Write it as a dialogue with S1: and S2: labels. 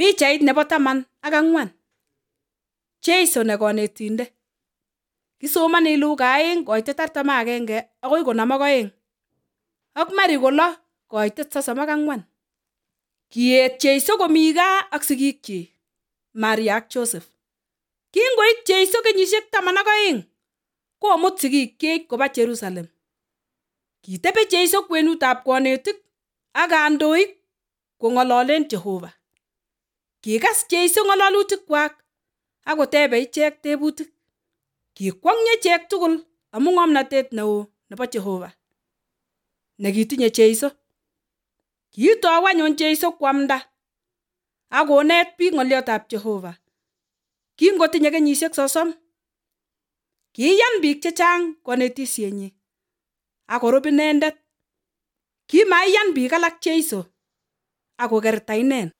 S1: Pichait nebo 14. Jeiso ne konetindet. Kisomani Luka 2:41 agoi 52 ak Mari 6:34. Kiet Jeiso komi gaa ak sigikchi, Maria ak Joseph. Kingoit Jeiso kenyisiek 12, komut sigikchi koba Jerusalem. Kitebi Jeiso kwenutab konetik ak kandoik kong'ololen Jehova. Kikas Jeiso ng'ololutikwak ak kotebe ichek tebutik. Kikwong'ye ichek tugul amu ng'omnotet neo nebo Jehova nekitinye Jeiso. Kiitou anyun Jeiso koamda ak konet biik ng'oliotab Jehova. Kingotinye kenyisiek 30, kiyan biik chechang konetisyenyi ak korub inendet. Kimaiyan biik alak Jeiso ak kokerta inen.